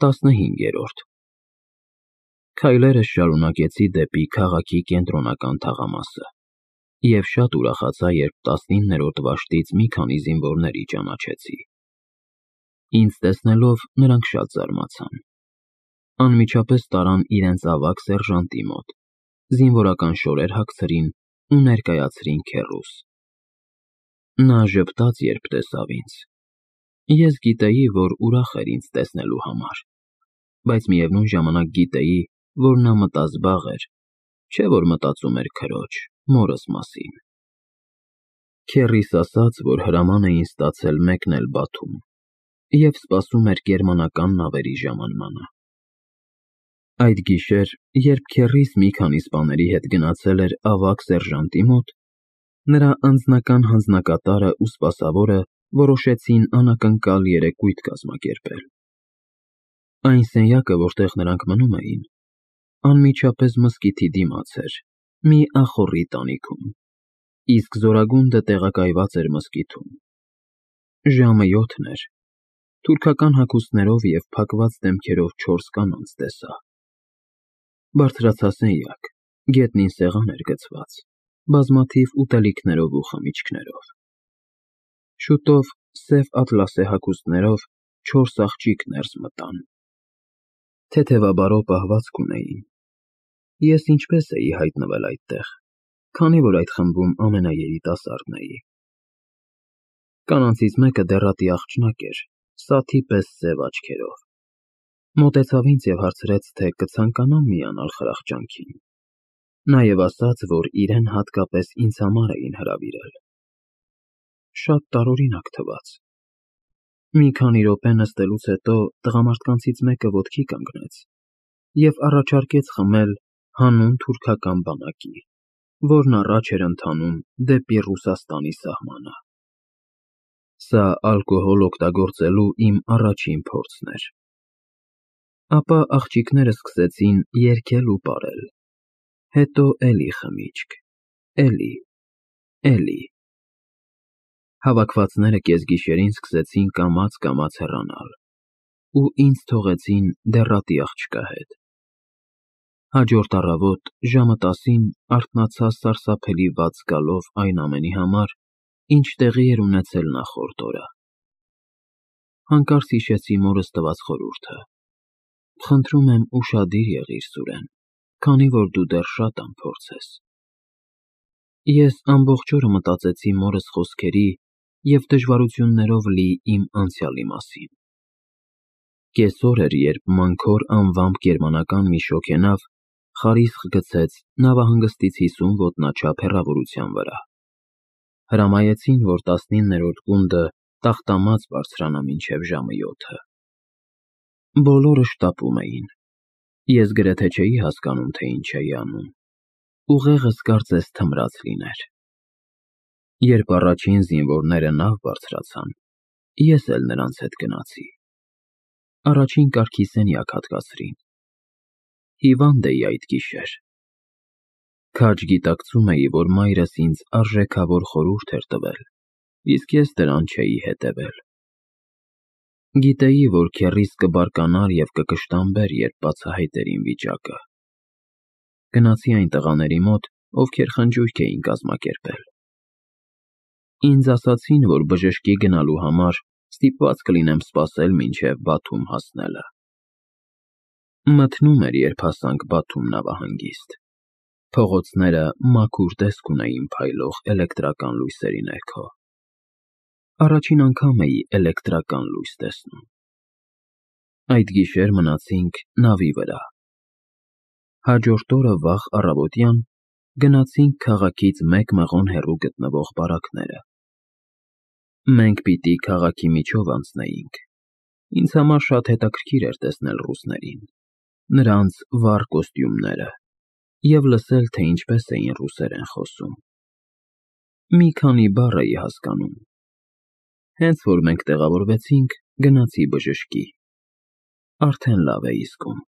15-րդ Քայլերս շարունակեցի դեպի քաղաքի կենտրոնական թաղամասը և շատ ուրախացա, երբ 19-րդ վաշտից մի քանի զինվորների ճանաչեցի։ Ինձ տեսնելով նրանք շատ զարմացան։ Անմիջապես տարան իրենց ավագ սերժանտի մոտ, զինվորական շորեր հագցրին ու ներկայացրին քեռուս։ Նա ժպտաց, երբ տեսավ ինձ։ Ես գիտեի, որ ուրախ էր ինձ տեսնելու համար, բայց միևնույն ժամանակ գիտեի, որ նա մտազբաղ էր, չէ որ մտածում էր քրոջ, մորս մասին։ Քեռիս ասաց, որ հրաման էին ստացել մեկնել Բաթում և սպասում էր գերմանական նավերի ժամանմանը։ Այդ գիշեր, երբ քեռիս մի քանի սպաների հետ գնացել էր ավագ սերժանտի մոտ, նրա անձնական հանձնակատարը ու սպասավորը որոշեցին անակնկալ երեկույթ կազմակերպել։ Այն սենյակը, որտեղ նրանք մնում էին, անմիջապես մզկիթի դիմաց էր, մի ախոռի տանիքում, իսկ զորագունդը տեղակայված էր մզկիթում։ Ժամը 7 էր, թուրքական հագուստներով և փակված դեմքերով 4 կանանց տեսա։ Բարձրացա սենյակ, գետնին սեղան էր գցված, բազմաթիվ ուտելիքներով ու խմիչքներով։ Շուտով սև ատլասե հագուստներով 4 աղջիկ ներս մտան։ Թեթևաբարո պահվածք ունեին։ Ես ինչպես էի հայտնվել այդտեղ, քանի որ այդ խմբում ամենաերիտասարդն էի։ Կանանցից մեկը դեռատի աղջնակ էր, սաթի պես սև աչքերով։ Մոտեցավ ինձ և հարցրեց, թե կցանկանամ միանալ խրախճանքին։ Նաև ասաց, որ իրեն հատկապես ինձ համար էին հրավիրել։ Շատ տարօրինակ թվաց։ Մի քանի րոպե նստելուց հետո տղամարդկանցից մեկը ոտքի կանգնեց և առաջարկեց խմել հանուն թուրքական բանակի, որն առաջ էր ընթանում դեպի Ռուսաստանի սահմանը։ Սա ալկոհոլ օգտագործելու իմ առաջին փորձն էր։ Ապա աղջիկները սկսեցին երգել ու պարել, հետո էլի խմիչք, էլի։ Հավաքվածները կեսգիշերին սկսեցին կամաց հեռանալ ու ինձ թողեցին դեռատի աղջկա հետ։ Հաջորդ առավոտ ժամը 10-ին արթնացա սարսափելի վատ զգալով այն ամենի համար, ինչ տեղի էր ունեցել նախորդ օրը։ Հանկարծ հիշեցի մորս տված խորհուրդը. «Խնդրում եմ ուշադիր եղիր, Սուրեն, քանի որ դու դեռ շատ անփորձ ես»։ Ես ամբողջ օրը մտածեցի մորս խոսքերի և դժվարություններով լի իմ անցյալի մասին։ Կեսօր էր, երբ Մանքոր անվամբ գերմանական մի շոգենավ խարիսխ գցեց նավահանգստից 50 ոտնաչափ հեռավորության վրա։ Հրամայեցին, որ 19-րդ գունդը տախտամաց բարձրանա մինչև ժամը 7-ը։ Բոլորը շտապում էին։ Ես գրեթե չէի հասկանում, թե ինչ էի անում։ Ուղեղս կարծես թմրած լիներ։ Երբ առաջին զինվորները նավ բարձրացան, ես էլ նրանց հետ գնացի։ Առաջին կարգի սենյակ հատկացրին։ Հիվանդ էի այդ գիշեր։ Քաջ գիտակցում էի, որ մայրս ինձ արժեքավոր խորհուրդ էր տվել, իսկ ես դրան չէի հետևել։ Գիտեի, որ քեռիս կբարկանար և կկշտամբեր, երբ բացահայտեր իմ վիճակը։ Գնացի այն տղաների մոտ, ովքեր խնջույք էին կազմակերպել։ Ինձ ասացին, որ բժշկի գնալու համար ստիպված կլինեմ սպասել մինչև Բաթում հասնելը։ Մթնում էր, երբ հասանք Բաթում նավահանգիստ։ Փողոցները մաքուր տեսք ունեին փայլող էլեկտրական լույսերի ներքո։ Առաջին անգամ էի էլեկտրական լույս տեսնում։ Այդ գիշեր մնացինք նավի վրա։ Հաջորդ օրը վաղ առավոտյան գնացինք քաղաքից 1 մղոն հեռու գտնվող բարակները։ Մենք պիտի քաղաքի միջով անցնեինք։ Ինձ համար շատ հետաքրքիր էր տեսնել ռուսներին, նրանց վառ կոստյումները և լսել, թե ինչպես էին ռուսերեն խոսում։ Մի քանի բառ էի հասկանում։ Հենց որ մենք տեղավորվեցինք, գնացի բժշկի։ Արդեն լավ էի զգում։